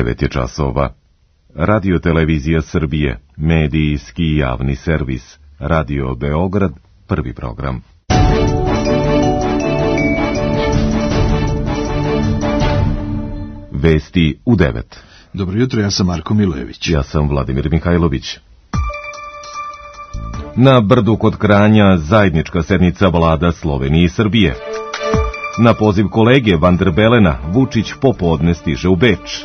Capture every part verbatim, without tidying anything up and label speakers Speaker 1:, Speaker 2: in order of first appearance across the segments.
Speaker 1: devet je časova. Radio Televizija Srbije, medijski javni servis, Radio Beograd, prvi program. Vesti u devet.
Speaker 2: Dobro jutro, ja sam Marko Milojević.
Speaker 1: Ja sam Vladimir Mihajlović. Na Brdu kod Kranja zajednička sednica vlada Slovenije i Srbije. Na poziv kolege Van der Belena, Vučić popodne stiže u Beč.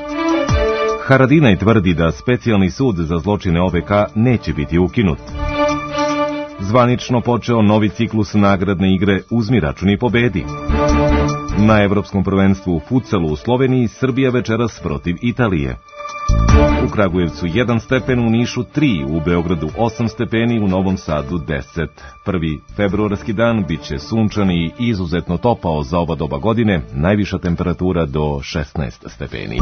Speaker 1: Haradinaj tvrdi da specijalni sud za zločine O V K neće biti ukinut. Zvanično počeo novi ciklus nagradne igre Uzmi račun i pobedi. Na evropskom prvenstvu u futsalu u Sloveniji Srbija večeras protiv Italije. U Kragujevcu jedan stepen, u Nišu tri, u Beogradu osam stepeni, u Novom Sadu deset. Prvi februarski dan biće sunčan i izuzetno topao za ova doba godine, najviša temperatura do šesnaest stepeni.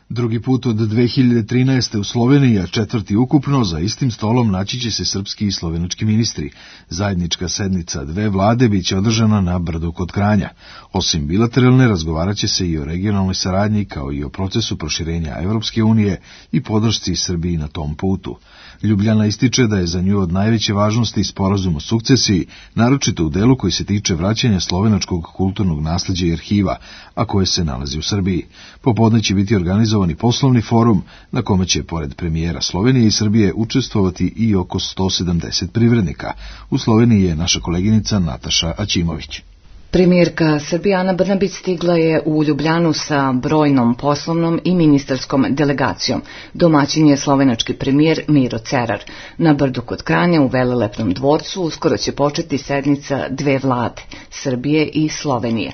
Speaker 2: Drugi put od dve hiljade trinaeste. u Sloveniji, a četvrti ukupno, za istim stolom naći će se srpski i slovenački ministri. Zajednička sednica dve vlade biće održana na Brdu kod Kranja. Osim bilateralne, razgovarat će se i o regionalnoj saradnji, kao i o procesu proširenja Evropske unije i podršci Srbiji na tom putu. Ljubljana ističe da je za nju od najveće važnosti sporazum o sukcesiji, naročito u delu koji se tiče vraćanja slovenačkog kulturnog nasleđa i arhiva, a koje se nalazi u Srbiji. Popodne će biti organizovani poslovni forum na kome će, pored premijera Slovenije i Srbije, učestvovati i oko sto sedamdeset privrednika. U Sloveniji je naša koleginica Nataša Aćimović.
Speaker 3: Premijerka Srbije Ana Brnabić stigla je u Ljubljanu sa brojnom poslovnom i ministarskom delegacijom. Domaćin je slovenački premijer Miro Cerar. Na Brdu kod Kranja u Velelepnom dvorcu uskoro će početi sednica dve vlade, Srbije i Slovenije.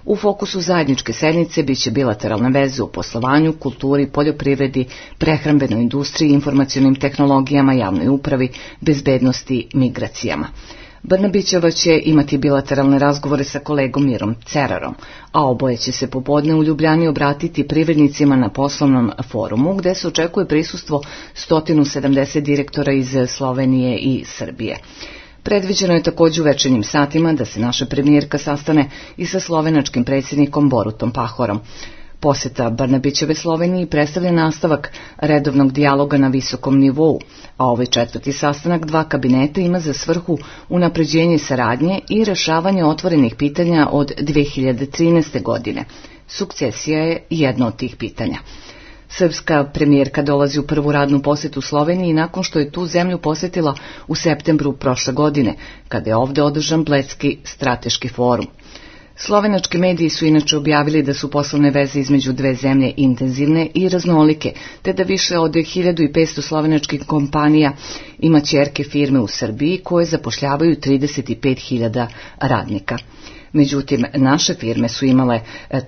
Speaker 3: U fokusu zajedničke sednice biće bilateralne veze u poslovanju, kulturi, poljoprivredi, prehrambenoj industriji, informacionim tehnologijama, javnoj upravi, bezbednosti, migracijama. Brnabićeva će imati bilateralne razgovore sa kolegom Mirom Cerarom, a oboje će se popodne u Ljubljani obratiti privrednicima na poslovnom forumu, gde se očekuje prisustvo sto sedamdeset direktora iz Slovenije i Srbije. Predviđeno je također u večernjim satima da se naša premijerka sastane i sa slovenačkim predsjednikom Borutom Pahorom. Poseta Brnabićeve Sloveniji predstavlja nastavak redovnog dijaloga na visokom nivou, a ovaj četvrti sastanak dva kabineta ima za svrhu unapređenje saradnje i rešavanje otvorenih pitanja od dve hiljade trinaeste. godine. Sukcesija je jedno od tih pitanja. Srpska premijerka dolazi u prvu radnu posetu Sloveniji nakon što je tu zemlju posetila u septembru prošle godine, kada je ovdje održan Bledski strateški forum. Slovenački mediji su inače objavili da su poslovne veze između dve zemlje intenzivne i raznolike, te da više od hiljadu petsto slovenačkih kompanija ima ćerke firme u Srbiji koje zapošljavaju trideset pet hiljada radnika. Međutim, naše firme su imale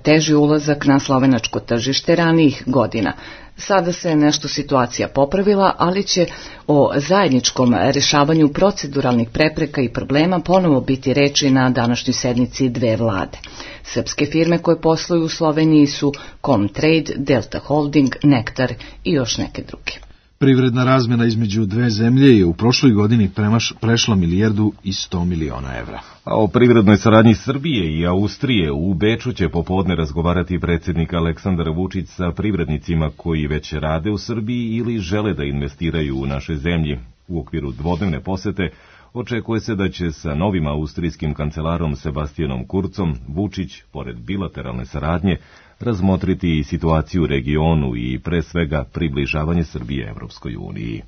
Speaker 3: teži ulazak na slovenačko tržište ranijih godina. Sada se nešto situacija popravila, ali će o zajedničkom rešavanju proceduralnih prepreka i problema ponovo biti reči na današnjoj sednici dve vlade. Srpske firme koje posluju u Sloveniji su Comtrade, Delta Holding, Nektar i još neke druge.
Speaker 2: Privredna razmjena između dve zemlje je u prošloj godini premaš, prešla milijardu i sto miliona evra.
Speaker 1: A o privrednoj saradnji Srbije i Austrije u Beču će popodne razgovarati predsjednik Aleksandar Vučić sa privrednicima koji već rade u Srbiji ili žele da investiraju u našoj zemlji. U okviru dvodnevne posete očekuje se da će sa novim austrijskim kancelarom Sebastianom Kurzom Vučić, pored bilateralne saradnje, razmotriti i situaciju u regionu i pre svega približavanje Srbije Evropskoj uniji.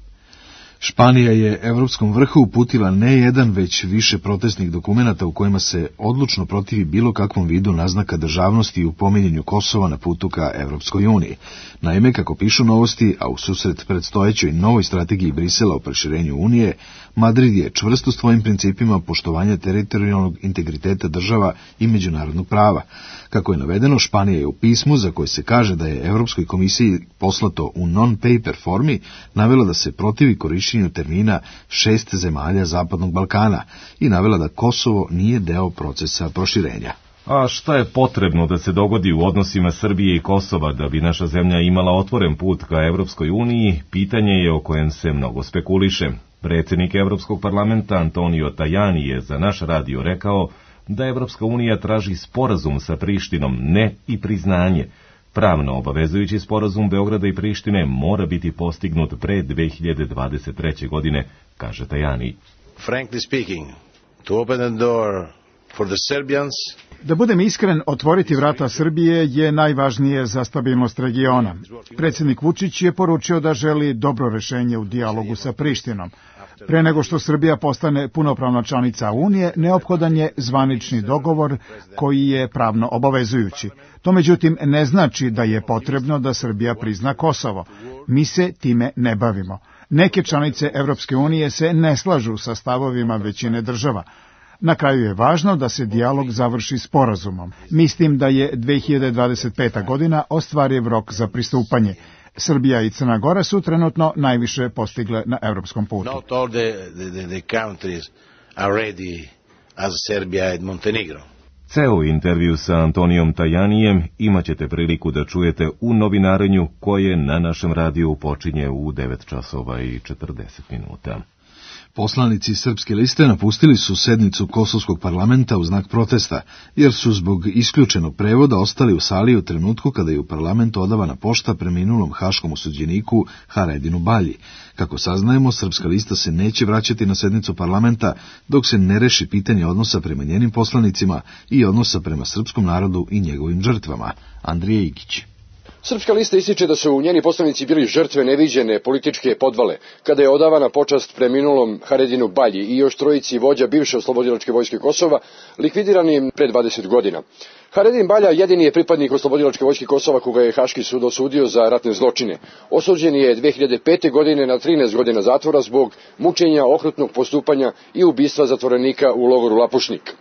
Speaker 2: Španija je Evropskom vrhu uputila ne jedan, već više protestnih dokumenata u kojima se odlučno protivi bilo kakvom vidu naznaka državnosti u pominjanju Kosova na putu ka Evropskoj uniji. Naime, kako pišu Novosti, a u susret predstojećoj novoj strategiji Brisela o proširenju Unije, Madrid je čvrst u svojim principima poštovanja teritorijalnog integriteta država i međunarodnog prava. Kako je navedeno, Španija je u pismu, za koje se kaže da je Evropskoj komisiji poslato u non-paper formi, navela da se protivi korišćenju termina šest zemalja Zapadnog Balkana i navela da Kosovo nije deo procesa proširenja.
Speaker 1: A šta je potrebno da se dogodi u odnosima Srbije i Kosova da bi naša zemlja imala otvoren put ka Evropskoj uniji, pitanje je o kojem se mnogo spekuliše. Predsjednik Evropskog parlamenta Antonio Tajani je za naš radio rekao da Evropska unija traži sporazum sa Prištinom, ne i priznanje. Pravno obavezujući sporazum Beograda i Prištine mora biti postignut pre dve hiljade dvadeset treće. godine, kaže Tajani.
Speaker 4: Frankly speaking, to open the door for the Serbians.
Speaker 5: Da budem iskren, otvoriti vrata Srbije je najvažnije za stabilnost regiona. Predsjednik Vučić je poručio da želi dobro rešenje u dijalogu sa Prištinom. Pre nego što Srbija postane punopravna članica Unije, neophodan je zvanični dogovor koji je pravno obavezujući. To međutim ne znači da je potrebno da Srbija prizna Kosovo. Mi se time ne bavimo. Neke članice Evropske unije se ne slažu sa stavovima većine država. Na kraju je važno da se dijalog završi sporazumom. Mislim da je dve hiljade dvadeset peta. godina ostvariv rok za pristupanje. Srbija i Crna Gora su trenutno najviše postigle na evropskom putu.
Speaker 4: Not all the, the, the countries are ready as Serbia and Montenegro.
Speaker 1: Ceo intervju sa Antonijom Tajanijem imat ćete priliku da čujete u novinarenju koje na našem radiju počinje u devet časova i četrdeset minuta.
Speaker 2: Poslanici Srpske liste napustili su sednicu Kosovskog parlamenta u znak protesta, jer su zbog isključenog prevoda ostali u sali u trenutku kada je u parlamentu odavana pošta preminulom haškom osuđeniku Haredinu Balji. Kako saznajemo, Srpska lista se neće vraćati na sednicu parlamenta dok se ne reši pitanje odnosa prema njenim poslanicima i odnosa prema srpskom narodu i njegovim žrtvama. Andrija Igić.
Speaker 6: Srpska lista ističe da su njeni poslanici bili žrtve neviđene političke podvale, kada je odavana počast preminulom Haredinu Balji i još trojici vođa bivše oslobodilačke vojske Kosova, likvidirani pre dvadeset godina. Haredin Balja jedini je pripadnik oslobodilačke vojske Kosova koga je Haški sud osudio za ratne zločine. Osuđen je dve hiljade pete. godine na trinaest godina zatvora zbog mučenja, okrutnog postupanja i ubistva zatvorenika u logoru Lapušnik.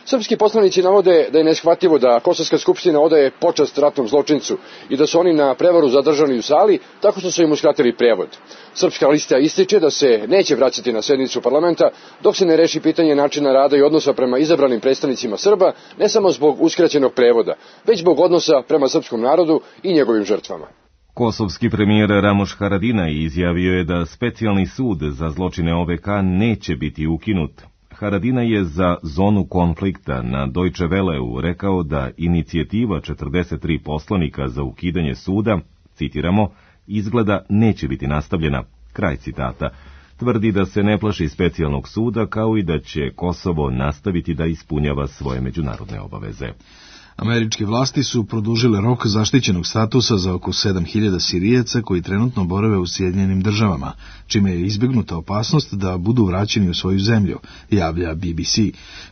Speaker 6: Srpski poslanici navode da je neshvatljivo da Kosovska skupština odaje počast ratnom zločincu i da su oni na prevaru zadržani u sali tako što su im uskratili prevod. Srpska lista ističe da se neće vraćati na sednicu parlamenta dok se ne reši pitanje načina rada i odnosa prema izabranim predstavnicima Srba, ne samo zbog uskraćenog prevoda, već zbog odnosa prema srpskom narodu i njegovim žrtvama.
Speaker 1: Kosovski premijer Ramoš Haradinaj izjavio je da specijalni sud za zločine O V K neće biti ukinut. Haradinaj je za zonu konflikta na Deutsche Welleu rekao da inicijativa četrdeset tri poslanika za ukidanje suda, citiramo, izgleda neće biti nastavljena, kraj citata. Tvrdi da se ne plaši specijalnog suda kao i da će Kosovo nastaviti da ispunjava svoje međunarodne obaveze.
Speaker 2: Američke vlasti su produžile rok zaštićenog statusa za oko sedam hiljada Sirijaca koji trenutno borave u Sjedinjenim državama, čime je izbjegnuta opasnost da budu vraćeni u svoju zemlju, javlja B B C.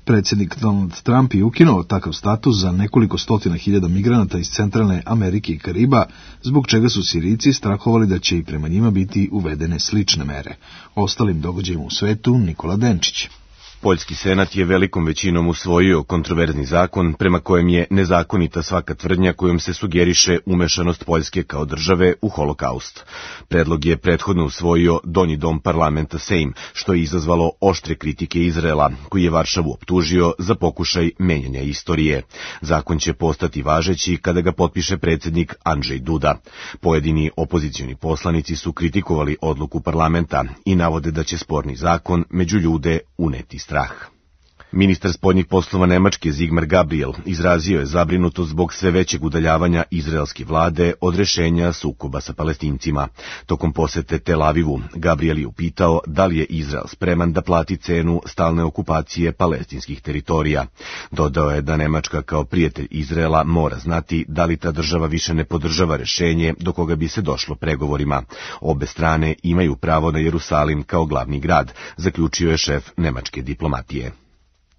Speaker 2: Predsjednik Donald Trump je ukinuo takav status za nekoliko stotina hiljada migranata iz Centralne Amerike i Kariba, zbog čega su Sirijci strahovali da će i prema njima biti uvedene slične mere. Ostalim događajima u svetu Nikola Denčić.
Speaker 7: Poljski senat je velikom većinom usvojio kontroverzni zakon prema kojem je nezakonita svaka tvrdnja kojom se sugeriše umešanost Poljske kao države u holokaust. Predlog je prethodno usvojio Donji dom parlamenta Sejm, što je izazvalo oštre kritike Izraela, koji je Varšavu optužio za pokušaj menjanja istorije. Zakon će postati važeći kada ga potpiše predsjednik Andrzej Duda. Pojedini opozicioni poslanici su kritikovali odluku parlamenta i navode da će sporni zakon među ljude uneti strah. Ministar spoljnih poslova Nemačke Sigmar Gabriel izrazio je zabrinutost zbog sve većeg udaljavanja izraelske vlade od rešenja sukoba sa Palestincima. Tokom posete Tel Avivu, Gabriel je upitao da li je Izrael spreman da plati cenu stalne okupacije palestinskih teritorija. Dodao je da Nemačka kao prijatelj Izraela mora znati da li ta država više ne podržava rešenje do koga bi se došlo pregovorima. Obe strane imaju pravo na Jerusalim kao glavni grad, zaključio je šef nemačke diplomatije.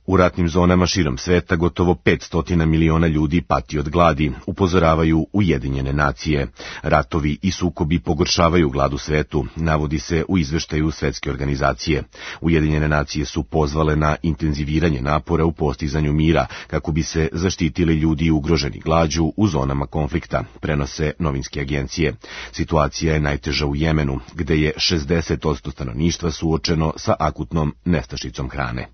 Speaker 7: U ratnim zonama širom sveta gotovo petsto miliona ljudi pati od gladi, upozoravaju Ujedinjene nacije. Ratovi i sukobi pogoršavaju glad u svetu, navodi se u izveštaju Svetske organizacije. Ujedinjene nacije su pozvale na intenziviranje napora u postizanju mira, kako bi se zaštitili ljudi ugroženi glađu u zonama konflikta, prenose novinske agencije. Situacija je najteža u Jemenu, gde je šezdeset posto stanovništva suočeno sa akutnom nestašicom hrane.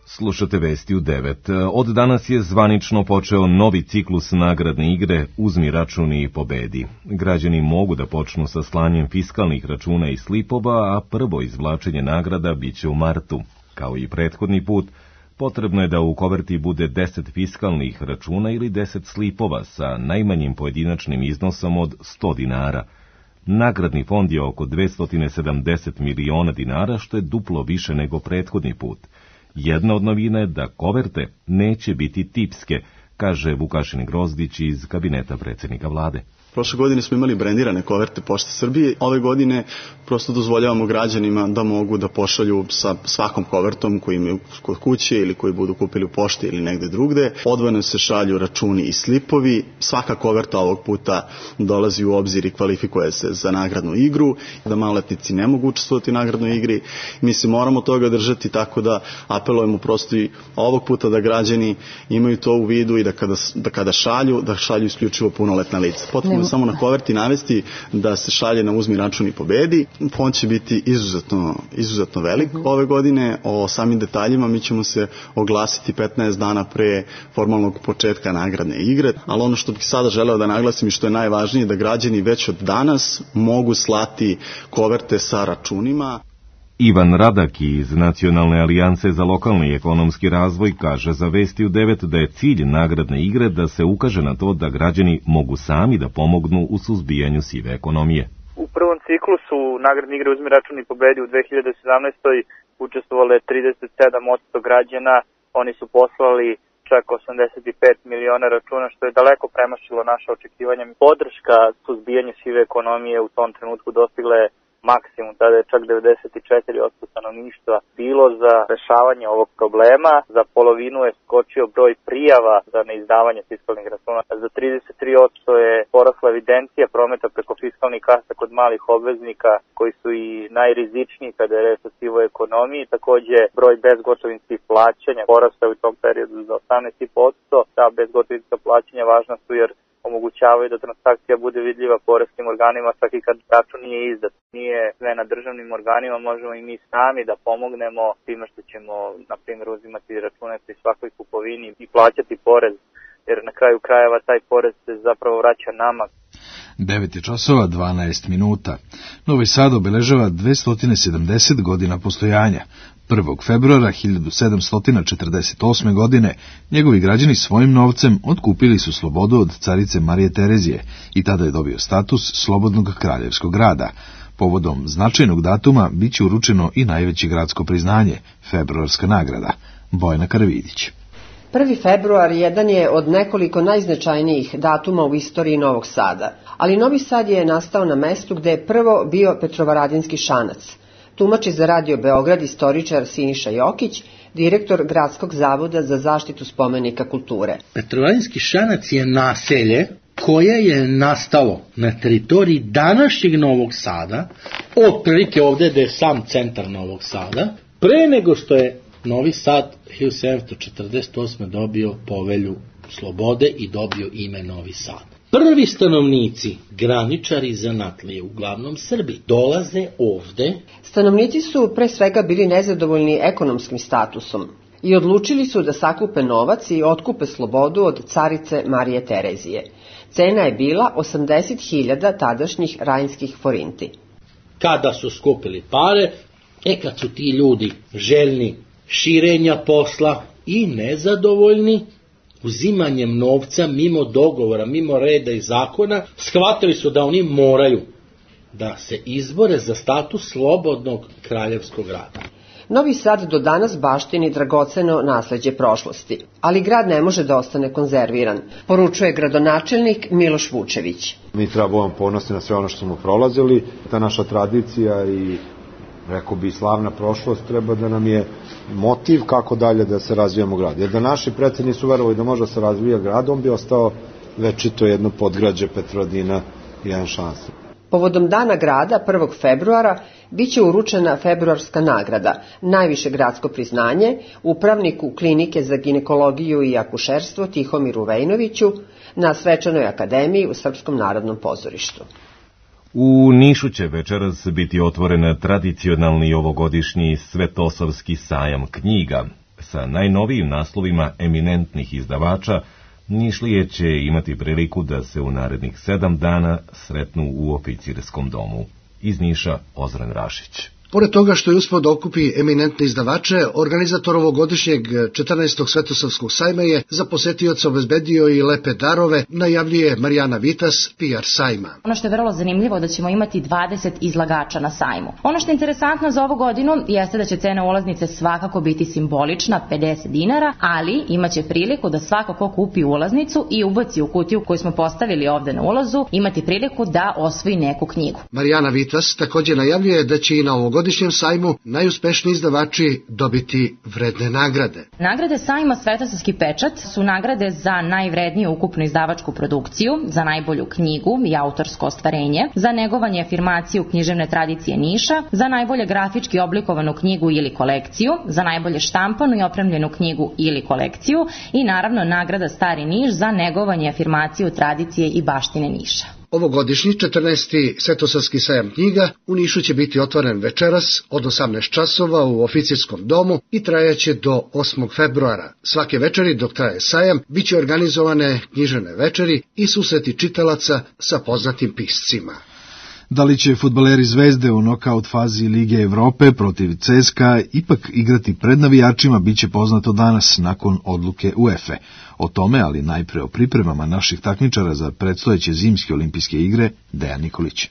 Speaker 1: Slušate vesti u devet. Od danas je zvanično počeo novi ciklus nagradne igre Uzmi račun i pobedi. Građani mogu da počnu sa slanjem fiskalnih računa i slipova, a prvo izvlačenje nagrada biće u martu. Kao i prethodni put, potrebno je da u koverti bude deset fiskalnih računa ili deset slipova sa najmanjim pojedinačnim iznosom od sto dinara. Nagradni fond je oko dvesta sedamdeset miliona dinara, što je duplo više nego prethodni put. Jedna od novina je da koverte neće biti tipske, kaže Vukašin Grozdić iz kabineta predsjednika vlade.
Speaker 8: Prošle godine smo imali brendirane koverte Pošte Srbije. Ove godine prosto dozvoljavamo građanima da mogu da pošalju sa svakom kovertom koji imaju kod kuće ili koji budu kupili u pošti ili negde drugde. Odvojeno se šalju računi i slipovi. Svaka koverta ovog puta dolazi u obzir i kvalifikuje se za nagradnu igru. Da maloletnici ne mogu učestvovati u nagradnoj igri. Mi se moramo toga držati, tako da apelujemo prosto i ovog puta da građani imaju to u vidu i da kada, da kada šalju, da šalju isključivo punoletna lica. Potrebno samo na koverti navesti da se šalje na uzmi račun i pobedi. Fond će biti izuzetno, izuzetno velik uh-huh. ove godine. O samim detaljima mi ćemo se oglasiti petnaest dana pre formalnog početka nagradne igre, ali ono što bih sada želeo da naglasim i što je najvažnije, da građani već od danas mogu slati koverte sa računima.
Speaker 1: Ivan Radak iz Nacionalne alijance za lokalni i ekonomski razvoj kaže za Vesti u devet da je cilj nagradne igre da se ukaže na to da građani mogu sami da pomognu u suzbijanju sive ekonomije.
Speaker 9: U prvom ciklusu nagradne igre Uzmi račun i pobedi u dve hiljade sedamnaestoj učestvovale trideset sedam posto građana. Oni su poslali čak osamdeset pet miliona računa, što je daleko premašilo naše očekivanja. Podrška suzbijanju sive ekonomije u tom trenutku dostigla je maksimum, tada je čak devedeset četiri posto stanovništva bilo za rešavanje ovog problema. Za polovinu je skočio broj prijava za neizdavanje fiskalnih računa. Za trideset tri posto je porasla evidencija prometa preko fiskalnih kasa kod malih obveznika koji su i najrizičniji kada je reč o sivoj ekonomiji. Takođe, broj bezgotovinskih plaćanja porastao u tom periodu za osamnaest posto. Ta bezgotovinska plaćanja važna su jer omogućavaju da transakcija bude vidljiva poreskim organima svaki kad račun nije izdat. Nije sve na državnim organima, možemo i mi sami da pomognemo time što ćemo, na primjer, uzimati račune pri svakoj kupovini i plaćati porez, jer na kraju krajeva taj porez se zapravo vraća nama.
Speaker 2: devet je časova dvanaest minuta. Novi Sad obeležava dvesta sedamdeset godina postojanja. prvog februara hiljadu sedamsto četrdeset osme. godine njegovi građani svojim novcem otkupili su slobodu od carice Marije Terezije i tada je dobio status slobodnog kraljevskog grada. Povodom značajnog datuma bit će uručeno i najveće gradsko priznanje, februarska nagrada. Bojana Karavidić.
Speaker 10: prvi februar jedan je od nekoliko najznačajnijih datuma u istoriji Novog Sada, ali Novi Sad je nastao na mestu gde je prvo bio Petrovaradinski šanac. Tumači za Radio Beograd istoričar Siniša Jokić, direktor Gradskog zavoda za zaštitu spomenika kulture.
Speaker 11: Petrovaradinski šanac je naselje koje je nastalo na teritoriji današnjeg Novog Sada, otprilike ovde gde je sam centar Novog Sada, pre nego što je Novi Sad hiljadu sedamsto četrdeset osme. dobio povelju slobode i dobio ime Novi Sad. Prvi stanovnici, graničari zanatlije, uglavnom Srbi, dolaze ovde.
Speaker 10: Stanovnici su pre svega bili nezadovoljni ekonomskim statusom i odlučili su da sakupe novac i otkupe slobodu od carice Marije Terezije. Cena je bila osamdeset hiljada tadašnjih rajnskih forinti.
Speaker 11: Kada su skupili pare, e kad su ti ljudi željni širenja posla i nezadovoljni uzimanjem novca mimo dogovora, mimo reda i zakona, shvatili su da oni moraju da se izbore za status slobodnog kraljevskog grada.
Speaker 10: Novi Sad do danas baštini dragoceno nasleđe prošlosti, ali grad ne može da ostane konzerviran, poručuje gradonačelnik Miloš Vučević.
Speaker 12: Mi treba budemo ponosni na sve ono što smo prolazili, ta naša tradicija i rekao bi slavna prošlost treba da nam je motiv kako dalje da se razvijamo grad. Jer da naši preci nisu verovali da može da se razvija grad, on bi ostao večito jedno podgrađe Petrovaradina i jedan šans.
Speaker 10: Povodom dana grada, prvog februara, bit će uručena februarska nagrada, najviše gradsko priznanje, upravniku Klinike za ginekologiju i akušerstvo Tihomiru Vejnoviću na Svečanoj akademiji u Srpskom narodnom pozorištu.
Speaker 1: U Nišu će večeras biti otvoren tradicionalni ovogodišnji Svetosavski sajam knjiga. Sa najnovijim naslovima eminentnih izdavača, Nišlije će imati priliku da se u narednih sedam dana sretnu u oficirskom domu. Iz Niša, Ozren Rašić.
Speaker 13: Pored toga što je uspeo da okupi eminentne izdavače, organizator ovogodišnjeg četrnaestog Svetosavskog sajma je za posetioca obezbedio i lepe darove, najavljuje Marijana Vitas, P R sajma.
Speaker 14: Ono što je vrlo zanimljivo da ćemo imati dvadeset izlagača na sajmu. Ono što je interesantno za ovu godinu jeste da će cena ulaznice svakako biti simbolična, pedeset dinara, ali imaće priliku da svako ko kupi ulaznicu i ubaci u kutiju koju smo postavili ovde na ulazu, imati priliku da osvoji neku knjigu.
Speaker 13: Marijana Vitas također najavljuje da će i na ovogodišnjem sajmu najuspešniji izdavači dobiti vredne nagrade.
Speaker 14: Nagrade sajma Svetosavski pečat su nagrade za najvredniju ukupnu izdavačku produkciju, za najbolju knjigu i autorsko ostvarenje, za negovanje afirmaciju književne tradicije Niša, za najbolje grafički oblikovanu knjigu ili kolekciju, za najbolje štampanu i opremljenu knjigu ili kolekciju i naravno nagrada Stari Niš za negovanje afirmaciju tradicije i baštine Niša.
Speaker 13: Ovogodišnji četrnaesti Svetosavski sajam knjiga u Nišu će biti otvoren večeras od osamnaest časova u Oficirskom domu i trajaće do osmog februara. Svake večeri dok traje sajam biće organizovane književne večeri i susreti čitalaca sa poznatim piscima.
Speaker 2: Da li će fudbaleri Zvezde u nokaut fazi Lige Evrope protiv C S K A ipak igrati pred navijačima biće poznato danas nakon odluke UEFA. O tome, ali najpre o pripremama naših takmičara za predstojeće zimske olimpijske igre, Dejan Nikolić.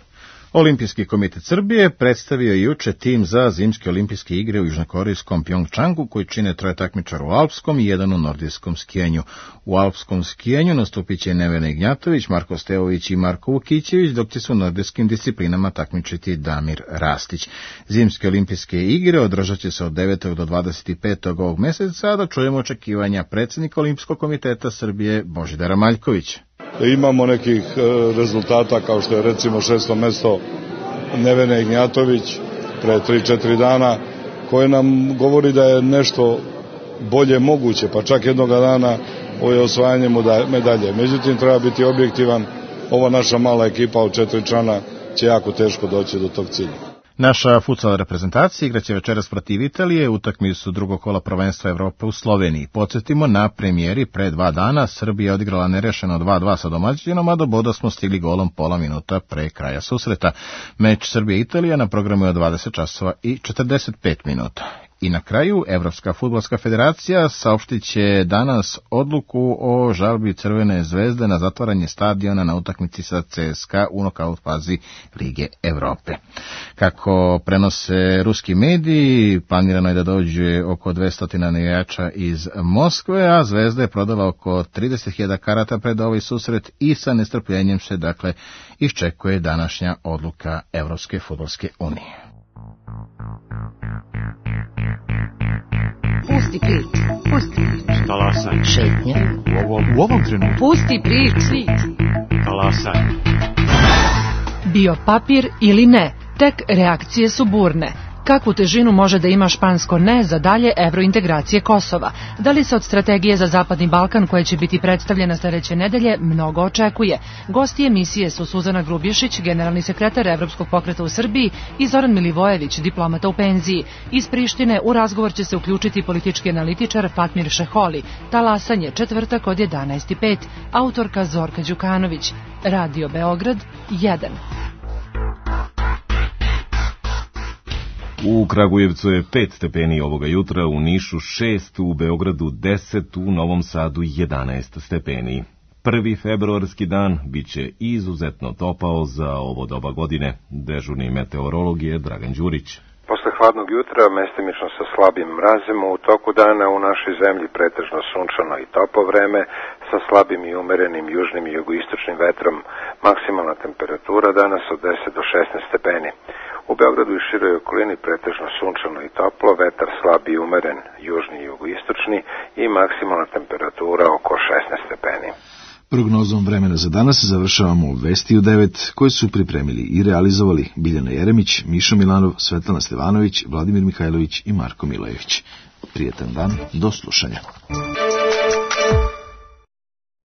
Speaker 15: Olimpijski komitet Srbije predstavio je juče tim za zimske olimpijske igre u južnokorejskom Pjongčangu, koji čine troje takmičara u alpskom i jedan u nordijskom skijenju. U alpskom skijenju nastupit će Nevena Ignjatović, Marko Stevović i Marko Vukićević, dok će se u nordijskim disciplinama takmičiti Damir Rastić. Zimske olimpijske igre održat će se od devetog do dvadeset petog ovog meseca, a da čujemo očekivanja predsjednika Olimpijskog komiteta Srbije Božidara Maljkovića.
Speaker 16: Imamo nekih rezultata kao što je recimo šesto mesto Nevene Ignjatović pre tri četiri dana, koje nam govori da je nešto bolje moguće, pa čak jednoga dana ovo je osvajanje medalje. Međutim, treba biti objektivan, ova naša mala ekipa od četiri člana će jako teško doći do tog cilja.
Speaker 15: Naša futsal reprezentacija igraće večeras protiv Italije, utakmicu drugog kola prvenstva Evrope u Sloveniji. Podsjetimo, na premijeri pre dva dana Srbija odigrala nerešeno dva dva sa domaćinom, a do boda smo stigli golom pola minuta pre kraja susreta. Meč Srbije-Italija na programu je od dvadeset časova i četrdeset pet minuta. I na kraju, Evropska fudbalska federacija saopštit će danas odluku o žalbi Crvene zvezde na zatvaranje stadiona na utakmici sa C S K A u nokaut fazi Lige Evrope. Kako prenose ruski mediji, planirano je da dođe oko dvesta navijača iz Moskve, a Zvezda je prodala oko trideset hiljada karata pred ovaj susret i sa nestrpljenjem se dakle iščekuje današnja odluka Evropske fudbalske unije.
Speaker 17: Pusti priču, pusti priču.
Speaker 18: Talasaj.
Speaker 17: Šetnje.
Speaker 18: U ovom, u ovom trenutku.
Speaker 17: Pusti priču.
Speaker 18: Talasaj.
Speaker 19: Bio papir ili ne, tek reakcije su burne. Kakvu težinu može da ima špansko ne za dalje evrointegracije Kosova? Da li se od strategije za Zapadni Balkan, koja će biti predstavljena sledeće nedelje, mnogo očekuje? Gosti emisije su Suzana Grubješić, generalni sekretar Evropskog pokreta u Srbiji, i Zoran Milivojević, diplomata u penziji. Iz Prištine u razgovor će se uključiti politički analitičar Fatmir Šeholi. Talasanje, četvrtak od jedanaest i pet, autorka Zorka Đukanović. Radio Beograd jedan.
Speaker 1: U Kragujevcu je pet stepeni ovoga jutra, u Nišu šest, u Beogradu deset, u Novom Sadu jedanaest stepeni. Prvi februarski dan biće izuzetno topao za ovo doba godine. Dežurni meteorolog je Dragan Đurić.
Speaker 20: Posle hladnog jutra, mestimično sa slabim mrazem, u toku dana u našoj zemlji pretežno sunčano i toplo vreme, sa slabim i umerenim južnim i jugoistočnim vetrom, maksimalna temperatura danas od deset do šesnaest stepeni. U Beogradu i široj okolini pretežno sunčano i toplo, vetar slab i umeren, južni i jugoistočni i maksimalna temperatura oko šesnaest stepeni.
Speaker 2: Prognozom vremena za danas završavamo Vesti u devet, koje su pripremili i realizovali Biljana Jeremić, Mišo Milanov, Svetlana Stevanović, Vladimir Mihajlović i Marko Milojević. Prijetan dan, do slušanja.